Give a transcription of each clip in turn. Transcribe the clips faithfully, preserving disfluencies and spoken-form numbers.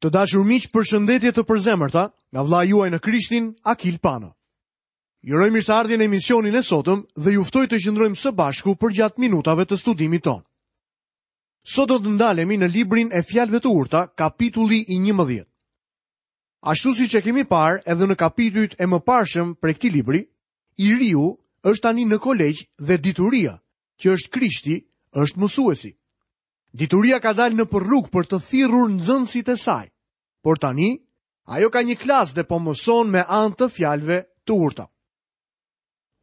Të dashur miq, përshëndetje të përzemërta nga vëllai juaj në Krishtin, Akil Pano. Ju uroj mirëseardhjen në emisionin e sotëm dhe ju ftoj të qëndrojmë së bashku përgjatë minutave të studimit tonë. Sot do të ndalemi në librin e Fjalëve të Urta, kapitulli i njëmbëdhjetë. Ashtu siç e kemi parë edhe në kapitujt e mëparshëm prej këtij libri, i riu është tani në kolegj dhe dituria, që është Krishti, është mësuesi. Dituria ka dalë nëpër rrugë për të thirrur nxënësit e saj, por tani ajo ka një klasë dhe po mëson me anë të fjalëve të urta.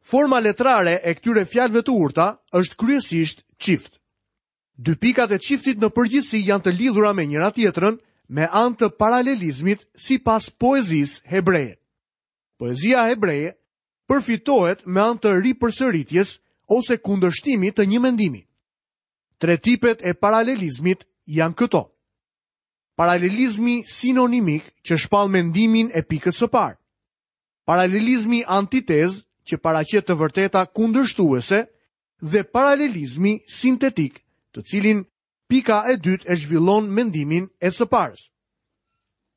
Forma letrare e këtyre fjalëve të urta është kryesisht çift. Dy pikat e çiftit në përgjithësi janë të lidhura me njëra tjetrën me anë të paralelizmit sipas poezisë hebreje. Poezia hebreje përfitohet me anë të ripërsëritjes ose kundërshtimit të një mendimi. Tre tipet e paralelizmit janë këto. Paralelizmi sinonimik që shpall mendimin e pikës së parë. Paralelizmi antitez që paraqet të vërteta kundërshtuese dhe paralelizmi sintetik, të cilin pika e dytë e zhvillon mendimin e së parës.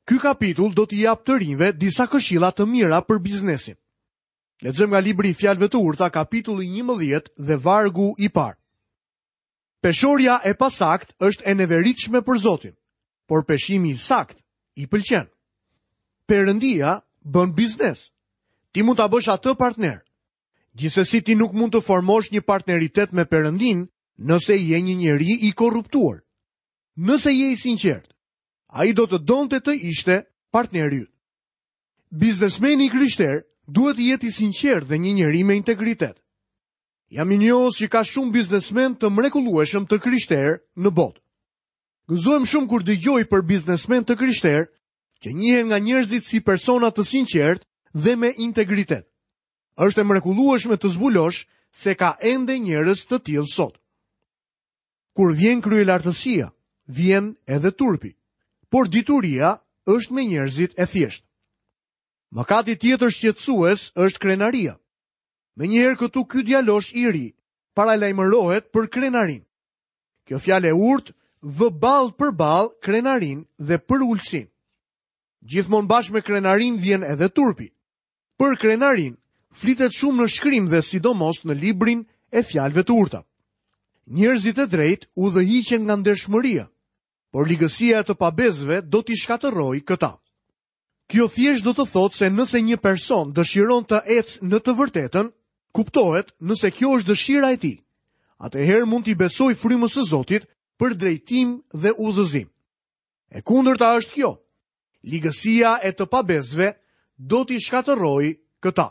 Ky kapitull do t'i japë të rinjve disa këshilla të mira për biznesin. Lexojmë nga libri i Fjalëve të Urta, kapitulli njëmbëdhjetë dhe vargu i parë. Peshorja e pasakt është e neveritshme për Zotin, por peshimi i sakt i pëlqen. Perëndia bën biznes. Ti mund ta bësh atë partner. Gjithsesi ti nuk mund të formosh një partneritet me Perëndin nëse je një njeri i korruptuar. Nëse je i sinqert, ai do të donte të ishte partneri yt. Biznesmeni i krishter duhet të jetë i sinqert dhe një njeri me integritet. Jam i njohës që ka shumë biznesmen të mrekullueshëm të krishterë në botë. Gëzohem shumë kur dëgjoj për biznesmen të krishterë që njihen nga njerëzit si persona të sinqertë dhe me integritet. Është e mrekullueshme të zbulosh se ka ende njerëz të tillë sot. Kur vjen kryelartësia, vjen edhe turpi, por dituria është me njerëzit e thjeshtë. Mëkati tjetër shqetësues është krenaria. Menjëherë këtu ky djalosh i ri paralajmërohet për krenarin. Kjo fjalë e urtë vë ballë për ballë krenarin dhe përulësinë. Gjithmonë bashkë me krenarin vjen edhe turpi. Për krenarin flitet shumë në shkrim dhe sidomos në librin e Fjalëve të Urta. Njerëzit e drejtë udhëhiqen nga ndershmëria, por ligësia e të pabesëve do t'i shkatërrojë këta. Kjo thjesht do të thotë se nëse një person dëshiron të ecë në të vërtetën, kuptohet nëse kjo është dëshira e tij. Atëherë mund t'i besoj frymës së Zotit për drejtim dhe udhëzim. E kundërta është kjo. Ligësia e të pabesëve do t'i shkatërrojë këta.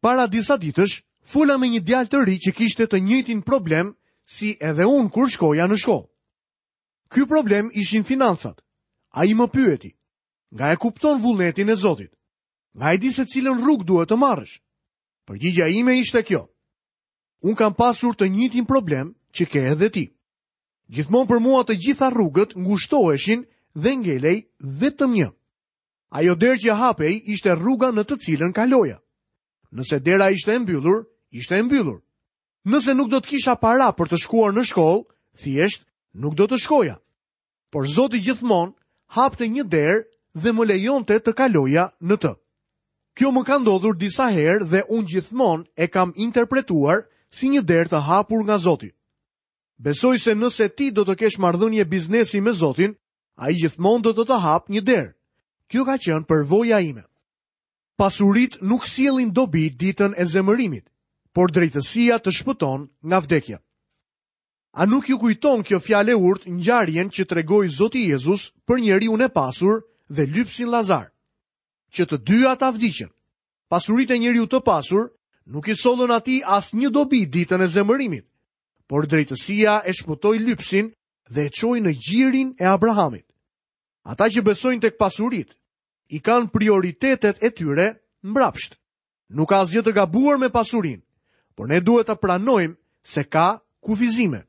Para disa ditësh, fola me një djalë të ri që kishte të njëjtin problem si edhe unë kur shkoja në shkollë. Ky problem ishin financat. Ai më pyeti, nga e kupton vullnetin e Zotit? Nga e di se cilën rrugë duhet të marrësh? Përgjigjja ime ishte kjo. Unë kam pasur të njëjtin problem që ke edhe ti. Gjithmonë për mua të gjitha rrugët ngushtoheshin dhe ngelej vetëm një. Ajo derë që hapej ishte rruga në të cilën kaloja. Nëse dera ishte e mbyllur, ishte e mbyllur. Nëse nuk do të kisha para për të shkuar në shkollë, thjesht nuk do të shkoja. Por Zoti gjithmonë hapte një derë dhe më lejonte të kaloja në të. Kjo më ka ndodhur disa herë dhe unë gjithmonë e kam interpretuar si një derë të hapur nga Zoti. Besoj se nëse ti do të kesh marrëdhënie biznesi me Zotin, ai gjithmonë do të të hap një derë. Kjo ka qenë përvoja ime. Pasurit nuk sjellin dobi ditën e zemërimit, por drejtësia të shpëton nga vdekja. A nuk ju kujton kjo fjalë e urtë ngjarjen që tregoi Zoti Jezus për njeriun e pasur dhe lypsin Lazar? Që të dy ata vdiqën. Pasuritë e njeriu të pasur nuk i sollën atij asnjë dobi ditën e zemërimit, por drejtësia e shpëtoi lypsin dhe e çoi në gjirin e Abrahamit. Ata që besojnë tek pasuritë i kanë prioritetet e tyre mbrapsht. Nuk ka asgjë të gabuar me pasurinë, por ne duhet ta pranojmë se ka kufizime.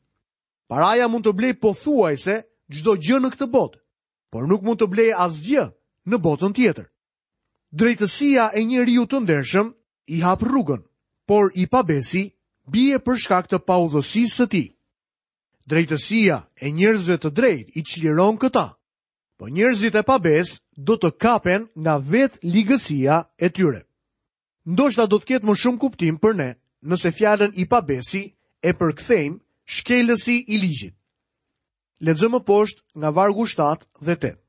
Paraja mund të blej pothuajse çdo gjë në këtë botë, por nuk mund të blej asgjë në botën tjetër. Drejtësia e njeriu të ndershëm i hap rrugën, por i pabesi bie për shkak të paudhësisë së tij. Drejtësia e njerëzve të drejtë i çliron këta, Po njerëzit e pabesë do të kapen nga vetë ligësia e tyre. Ndoshta do të ketë më shumë kuptim për ne nëse fjalën i pabesi e përkthejmë shkelësi i ligjit. Lexojmë poshtë nga vargu shtatë dhe tetë.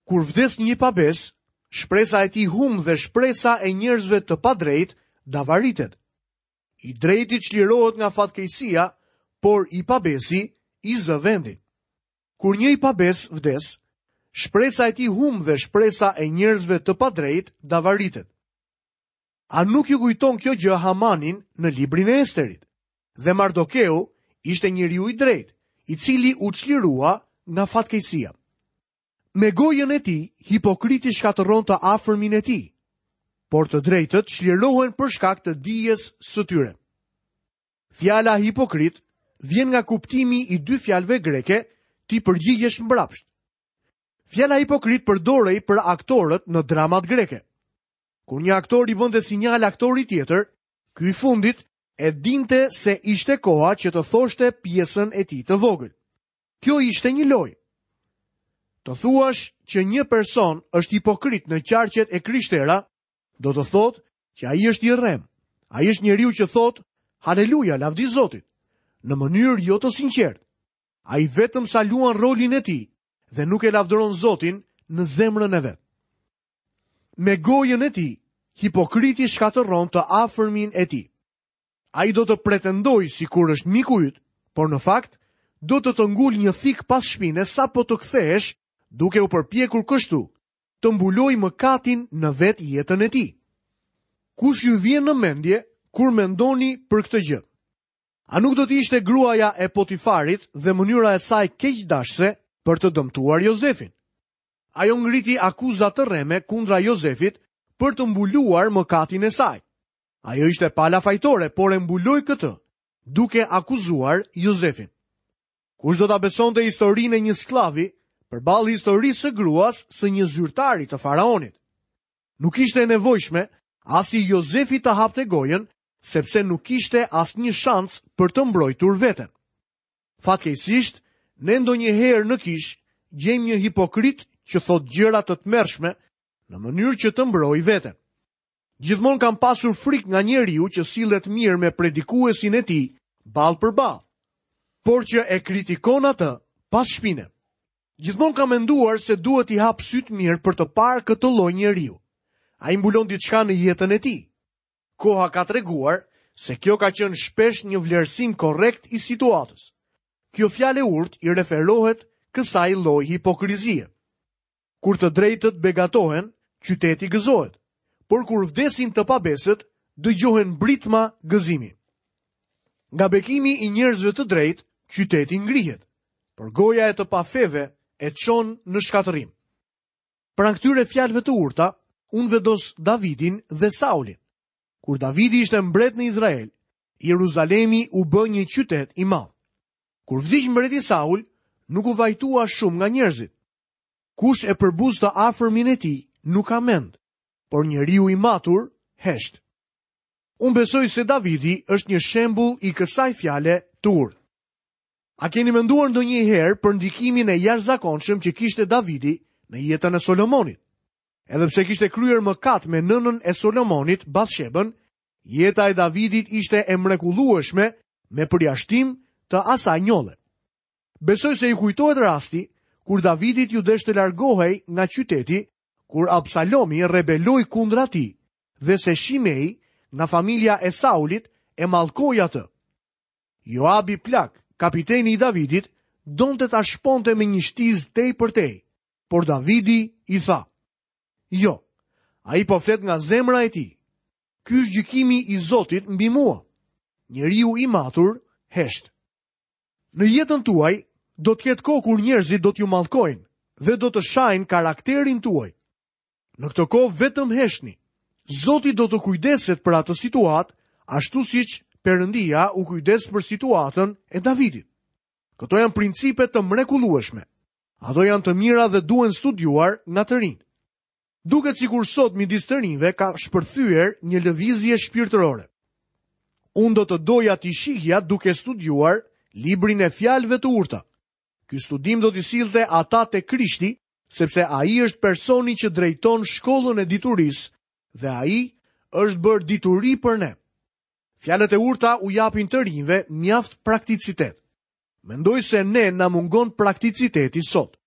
Kur vdes një pabes, shpresa e tij humb dhe shpresa e njerëzve të padrejtë davaritet. I drejti çlirohet nga fatkeqësia, por i pabesi i zë vendin. Kur një i pabes vdes, shpresa e tij humb dhe shpresa e njerëzve të padrejtë davaritet. A nuk ju kujton kjo gjë Hamanin në librin e Esterit? Dhe Mardokeu ishte njeriu i drejtë, i cili u çlirua nga fatkeqësia. Me gojën e tij, hipokriti shkatërron të afërmin e tij, por të drejtët çlirohen për shkak të dijes së tyre. Fjala hipokrit vjen nga kuptimi i dy fjalëve greke, ti përgjigjesh mbrapsht. Fjala hipokrit përdorej për aktorët në dramat greke. Kur një aktor i bënte sinjal aktorit tjetër, ky i fundit e dinte se ishte koha që të thoshte pjesën e tij të vogël. Kjo ishte një lojë. Të thuash që një person është hipokrit në qarqet e krishtera, do të thotë që ai është i rrem. Ai është njeriu që thotë haleluja, lavdi Zotit, në mënyrë jo të sinqertë. Ai vetëm sa luan rolin e tij dhe nuk e lavdëron Zotin në zemrën e vet. Me gojën e tij, hipokriti shkatërron të afërmin e tij. Ai do të pretendojë sikur është miku yt, por në fakt do të të ngul një thik pas shpine sapo të kthehesh, duke u përpjekur kështu të mbuloj mëkatin në vetë jetën e tij. Kush ju vjen në mendje kur mendoni për këtë gjë? A nuk do të ishte gruaja e Potifarit dhe mënyra e saj keqdashëse për të dëmtuar Jozefin? Ajo ngriti akuza të rreme kundra Jozefit për të mbuluar mëkatin e saj. Ajo ishte pala fajtore, por e mbuloi këtë, duke akuzuar Jozefin. Kush do ta besonte historinë e një skllavi përballë historisë së gruas së një zyrtari të faraonit? Nuk ishte e nevojshme as i Jozefi të hapte gojën, sepse nuk kishte asnjë shans për të mbrojtur veten. Fatkeqësisht, ne ndonjëherë në kish gjejmë një hipokrit që thot gjëra të tmerrshme në mënyrë që të mbrojë veten. Gjithmonë kam pasur frikë nga njeriu që sillet mirë me predikuesin e tij ball për ball, por që e kritikon atë pas shpine. Gjithmonë kam menduar se duhet i hap syt mirë për të parë këtë lloj njeriu. Ai mbulon diçka në jetën e tij. Koha ka treguar se kjo ka qenë shpesh një vlerësim korrekt i situatës. Kjo fjalë e urtë i referohet kësaj lloj hipokrizie. Kur të drejtët begatohen, qyteti gëzohet, por kur vdesin të pabesët, dëgjohen britma gëzimi. Nga bekimi i njerëzve të drejtë, qyteti ngrihet, por goja e të pafeve e çon në shkatërrim. Pranë këtyre fjalëve të urta, unë vendos Davidin dhe Saulin. Kur Davidi ishte mbret në Izrael, Jeruzalemi u bë një qytet i madh. Kur vdiq mbreti Saul, nuk u vajtua shumë nga njerëzit. Kush e përbuz të afërmin e tij nuk ka mend, por njeriu i matur hesht. Unë besoj se Davidi është një shembull i kësaj fjale të urtë. A keni menduar ndonjëherë për ndikimin e jashtëzakonshëm që kishte Davidi në jetën e Solomonit? Edhe pse kishte kryer mëkat me nënën e Solomonit, Bathshebën, jeta e Davidit ishte e mrekullueshme me përjashtim të asaj njolle. Besoj se i kujtohet rasti kur Davidit ju desh të largohej nga qyteti, kur Absalomi rebeloi kundra tij dhe se Shimei nga familja e Saulit e mallkoi atë. Joabi plak, kapiteni i Davidit, donte ta shponte me një shtizë tej për tej, por Davidi i tha: "Jo, ai po flet nga zemra e tij. Ky është gjykimi i Zotit mbi mua." Njeriu i matur hesht. Në jetën tuaj do të ketë kohë kur njerëzit do t'ju mallkojnë dhe do të shajnë karakterin tuaj. Në këtë kohë vetëm heshtni. Zoti do të kujdeset për atë situatë, ashtu siç Perëndia u kujdes për situatën e Davidit. Këto janë principe të mrekullueshme. Ato janë të mira dhe duhen studiuar nga të rinjtë. Duket sikur sot midis të rinjve ka shpërthyer një lëvizje shpirtërore. Unë do të doja t'i shihja duke studiuar librin e fjalëve të urta. Ky studim do t'i sillte ata te Krishti sepse ai është personi që drejton shkollën e diturisë dhe ai është bërë dituri për ne. Fjalët e urta u japin të rinjve mjaft prakticitet. Mendoj se ne na mungon prakticiteti sot.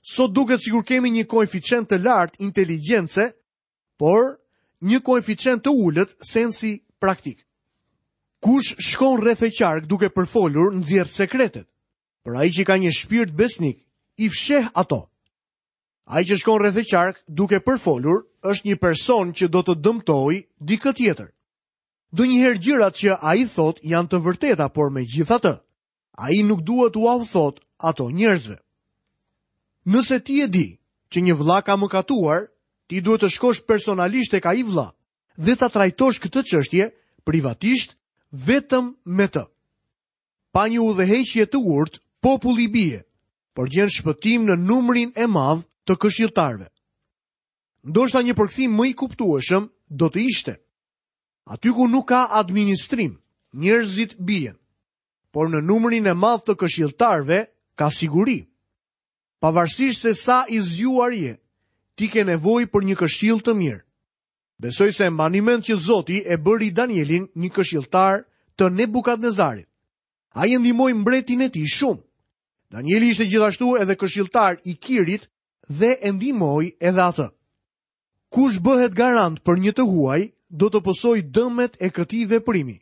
Sot duket sikur kemi një koeficient të lartë inteligjence, por një koeficient të ulët sensi praktik. Kush shkon rreth e qark duke përfolur nxjerr sekretet, por ai që ka një shpirt besnik i fsheh ato. Ai që shkon rreth e qark duke përfolur është një person që do të dëmtojë dikë tjetër. Ndonjëherë gjërat që ai thot janë të vërteta, por megjithatë, ai nuk duhet t'ua thot ato njerëzve. Nëse ti e di që një vëlla ka mëkatuar, ti duhet të shkosh personalisht tek ai vëlla dhe ta trajtosh këtë çështje privatisht vetëm me të. Pa një udhëheqje të urtë, populli bie, por gjen shpëtim në numrin e madh të këshilltarëve. Ndoshta një përkthim më i kuptueshëm do të ishte: aty ku nuk ka administrim, njerëzit bien, por në numrin e madh të këshilltarëve ka siguri. Pavarësisht se sa i zgjuar je, ti ke nevojë për një këshill të mirë. Besoj se mbani mend që Zoti e bëri Danielin një këshilltar të Nebukadnezarit. Ai e ndihmoi mbretin e tij shumë. Danieli ishte gjithashtu edhe këshilltar i Kirit dhe e ndihmoi edhe atë. Kush bëhet garant për një të huaj, do të pësojë dëmet e këtij veprimi,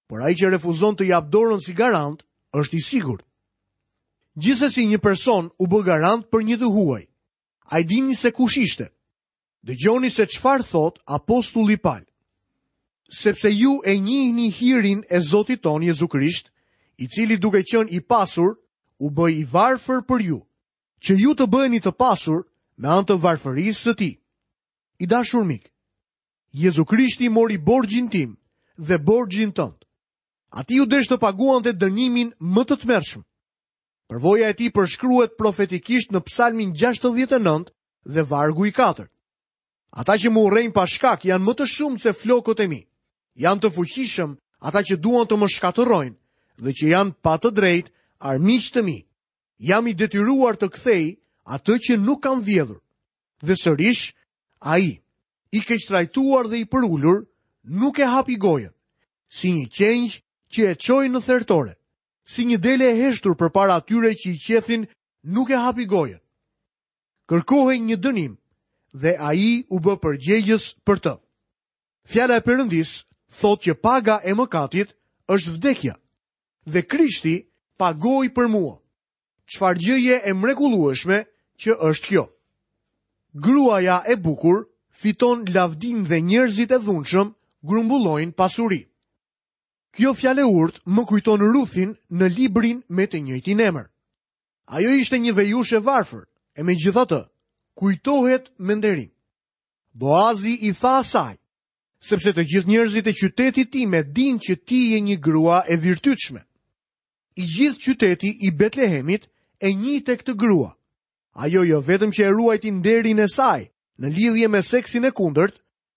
por ai që refuzon të japë dorën si garant është i sigurt. Gjithsesi një person u bë garant për një të huaj. A e dini se kush ishte? Dëgjoni se çfarë thot apostulli Paul. Sepse ju e njihni hirin e Zotit ton Jezu Krisht, i cili duke qenë i pasur, u bë i varfër për ju, që ju të bëheni të pasur me anë të varfërisë së tij. I dashur mik, Jezu Krishti mori borxhin tim dhe borxhin tënd. Atij u desh të paguante dënimin më të tmerrshëm. Përvoja e tij përshkruhet profetikisht në Psalmin gjashtëdhjetë e nëntë dhe vargu i katërt. Ata që më urrejnë pa shkak janë më të shumtë se flokët e mi. Janë të fuqishëm ata që duan të më shkatërrojnë dhe që janë pa të drejtë armiq të mi. Jam i detyruar të kthej atë që nuk kam vjedhur. Dhe sërish, ai, i keqtrajtuar dhe i përulur, nuk e hapi gojën, si një qengj që e çoi në thertore, si një dele e heshtur përpara atyre që i qethin, nuk e hapi gojën. Kërkohej një dënim dhe ai u bë përgjegjës për të. Fjala e Perëndis thotë që paga e mëkatit është vdekja, dhe Krishti pagoi për mua. Çfarë gjëje e mrekullueshme që është kjo. Gruaja e bukur fiton lavdin dhe njerëzit e dhunshëm grumbullojnë pasuri. Kjo fjalë e urtë më kujton Ruthin në librin me të njëjtin emër. Ajo ishte një vejushë e varfër, e megjithatë, kujtohet me nderim. Boazi i tha asaj, sepse të gjithë njerëzit e qytetit tim e dinë që ti je një grua e virtytshme. I gjithë qyteti i Betlehemit e njihte këtë grua. Ajo jo vetëm që e ruajti nderin e saj në lidhje me seksin e kundërt,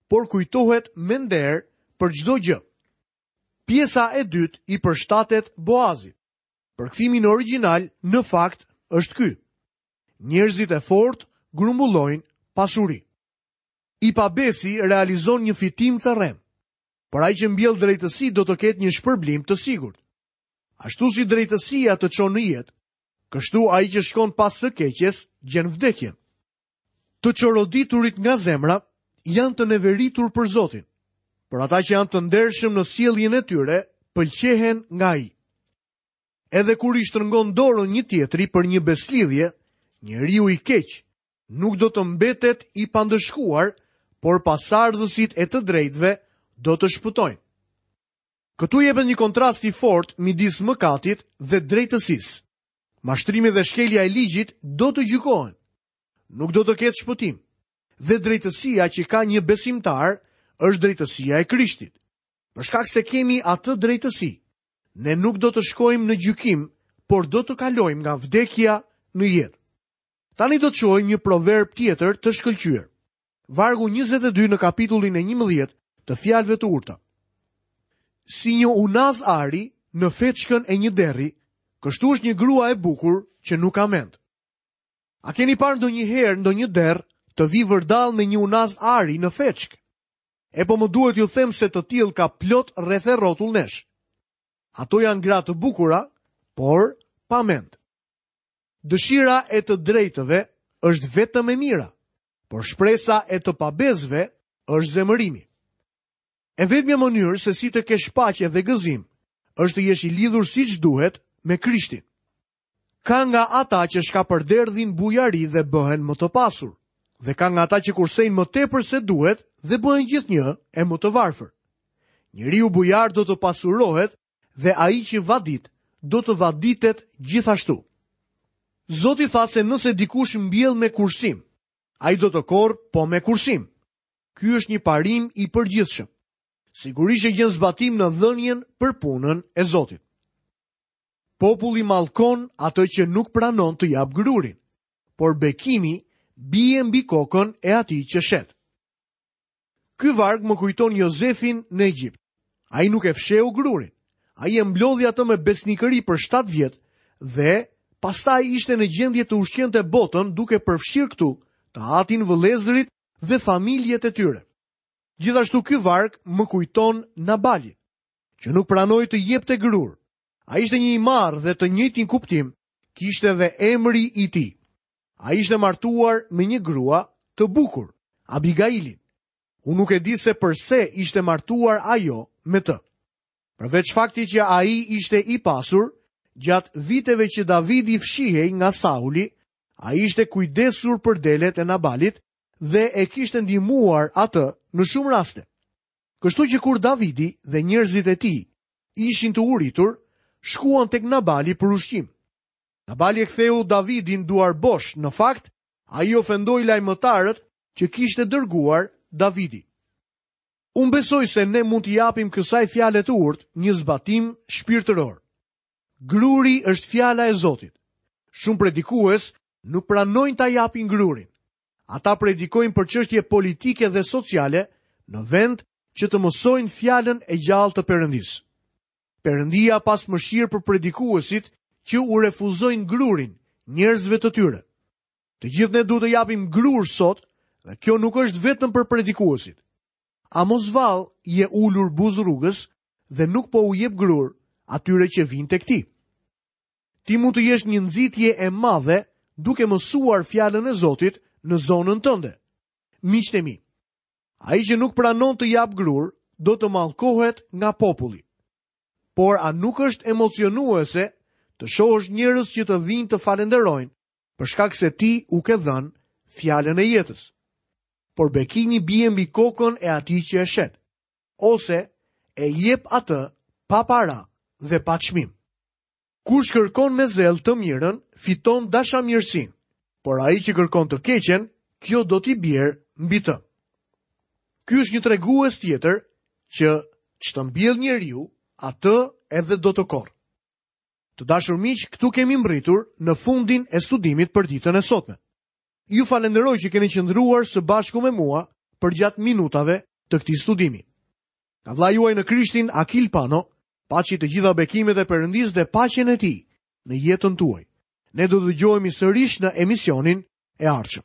por kujtohet me nder për çdo gjë. Pjesa e dytë i përshtatet Boazit. Përkthimi në origjinal në fakt është ky: Njerëzit e fortë grumbullojnë pasuri. I pabesi realizon një fitim të rrem, por ai që mbjell drejtësi do të ketë një shpërblim të sigurt. Ashtu si drejtësia të çon në jetë, kështu ai që shkon pas së keqes gjen vdekjen. Të çoroditurit nga zemra janë të neveritur për Zotin, por ata që janë të ndershëm në sjelljen e tyre pëlqehen nga ai. Edhe kur i shtrëngon dorën një tjetri për një beslidhje, njeriu i keq nuk do të mbetet i pandëshkuar, por pasardhësit e të drejtëve do të shpëtojnë. Këtu jepet një kontrast i fortë midis mëkatit dhe drejtësisë. Mashtrimi dhe shkelja e ligjit do të gjykohen. Nuk do të ketë shpëtim. Dhe drejtësia që ka një besimtar është drejtësia e Krishtit. Për shkak se kemi atë drejtësi, ne nuk do të shkojmë në gjykim, por do të kalojmë nga vdekja në jetë. Tani do të shohim një proverb tjetër të shkëlqyer. Vargu njëzet e dy në kapitullin e njëmbëdhjetë të fjalëve të urta. Si një unaz ari në feçkën e një derri, kështu është një grua e bukur që nuk ka mend. A keni parë ndonjëherë ndonjë derr të vijë vërdall me një unaz ari në feçkë? E po më duhet ju them se të tillë ka plot rreth e rrotull nesh. Ato janë gra të bukura, por pa mend. Dëshira e të drejtëve është vetëm e mira, por shpresa e të pabesëve është zemërimi. E vetmja mënyrë se si të kesh paqe dhe gëzim është të jesh i lidhur siç duhet me Krishtin. Ka nga ata që shkapërderdhin bujari dhe bëhen më të pasur, dhe ka nga ata që kursejnë më tepër se duhet dhe bëhen gjithnjë e më të varfër. Njeriu bujar do të pasurohet dhe ai që vadit do të vaditet gjithashtu. Zoti tha se nëse dikush mbjell me kursim, ai do të korrë po me kursim. Ky është një parim i përgjithshëm. Sigurisht që gjen zbatim në dhënien për punën e Zotit. Populli mallkon atë që nuk pranon të jap grurin, por bekimi bie mbi kokën e atij që shet. Ky varg më kujton Jozefin në Egjipt. Ai nuk e fsheu grurin. Ai e mblodhi atë me besnikëri për shtatë vjet dhe pastaj ishte në gjendje të ushqente botën duke përfshirë këtu të atin, vëllezërit dhe familjet e tyre. Gjithashtu ky varg më kujton Nabalin, që nuk pranoi të jepte grur. Ai ishte një i marrë dhe të njëjtin kuptim kishte dhe emri i tij. Ai ishte martuar me një grua të bukur, Abigailin. Unë nuk e di se përse ishte martuar ajo me të. Përveç faktit që ai ishte i pasur, gjatë viteve që Davidi fshihej nga Sauli, ai ishte kujdesur për delet e Nabalit dhe e kishte ndihmuar atë në shumë raste. Kështu që kur Davidi dhe njerëzit e tij ishin të uritur, shkuan tek Nabali për ushqim. Nabali e ktheu Davidin duar bosh. Në fakt, ai ofendoi lajmëtarët që kishte dërguar Davidi. Unë besoj se ne mund t'i japim kësaj fjale të urtë një zbatim shpirtëror. Gruri është fjala e Zotit. Shumë predikues nuk pranojnë ta japin grurin. Ata predikojnë për çështje politike dhe sociale në vend që të mësojnë fjalën e gjallë të Perëndisë. Perëndia pas mëshirë për predikuesit që u refuzojnë grurin njerëzve të tyre. Të gjithë ne duhet të japim grur sot dhe kjo nuk është vetëm për predikuesit. A mos vallë je ulur buzë rrugës dhe nuk po u jep grur atyre që vijnë tek ti? Ti mund të jesh një nxitje e madhe duke mësuar fjalën e Zotit në zonën tënde. Miqtë e mi, ai që nuk pranon të jap grur do të mallkohet nga populli. Por a nuk është emocionuese të shohësh njerëz që të vijnë të falenderojnë për shkak se ti u ke dhënë fjalën e jetës? Por bekimi bie mbi kokën e atij që e shet, ose e jep atë pa para dhe pa çmim. Kush kërkon me zell të mirën, fiton dashamirësinë, por ai që kërkon të keqen, kjo do t'i bjerë mbi të. Ky është një tregues tjetër që ç'të mbjell njeriu, atë edhe do të korrë. Të dashur miq, këtu kemi mbërritur në fundin e studimit për ditën e sotme. Ju falenderoj që keni qëndruar së bashku me mua përgjatë minutave të këtij studimi. Nga vëllai juaj në Krishtin, Akil Pano, paçi të gjitha bekimet e Perëndisë dhe paqen e tij në jetën tuaj. Ne do të dëgjohemi sërish në emisionin e ardhshëm.